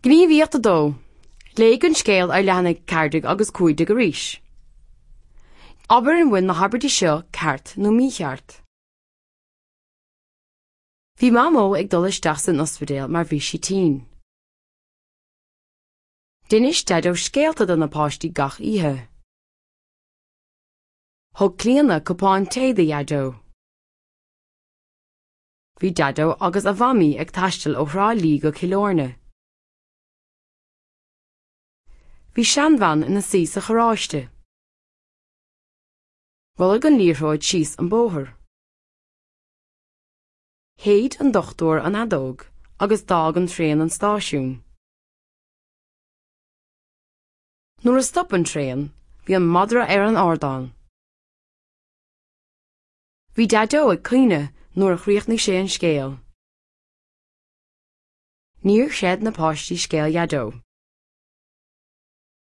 Gníomhaíocht 2, Léigh an scéal ar leathanaigh 14 agus 15 arís. Abair an bhfuil na habairtí seo ceart nó mícheart. Bhí Mamó ag dul isteach san ospidéal mar bhí sí tinn. D'inis Daideo scéalta do na páistí gach oíche. Thug Clíona cupán tae do Dhaideo. Bhí Daideo agus a Mhamaí ag taisteal ó Thrá Lí go Cill Airne. Bhí seanbhean ina suí sa charráiste. Rothlaigh an liathróid síos an bóthar. Shéid an dochtúir an fheadóg agus d'fhág an traein an stáisiún. Nuair a stop an traein, bhí an madra ar an ardán. Bhí Daideo ag caoineadh nuair a chríochnaigh sé an scéal. Níor chreid na páistí scéal Dhaideo.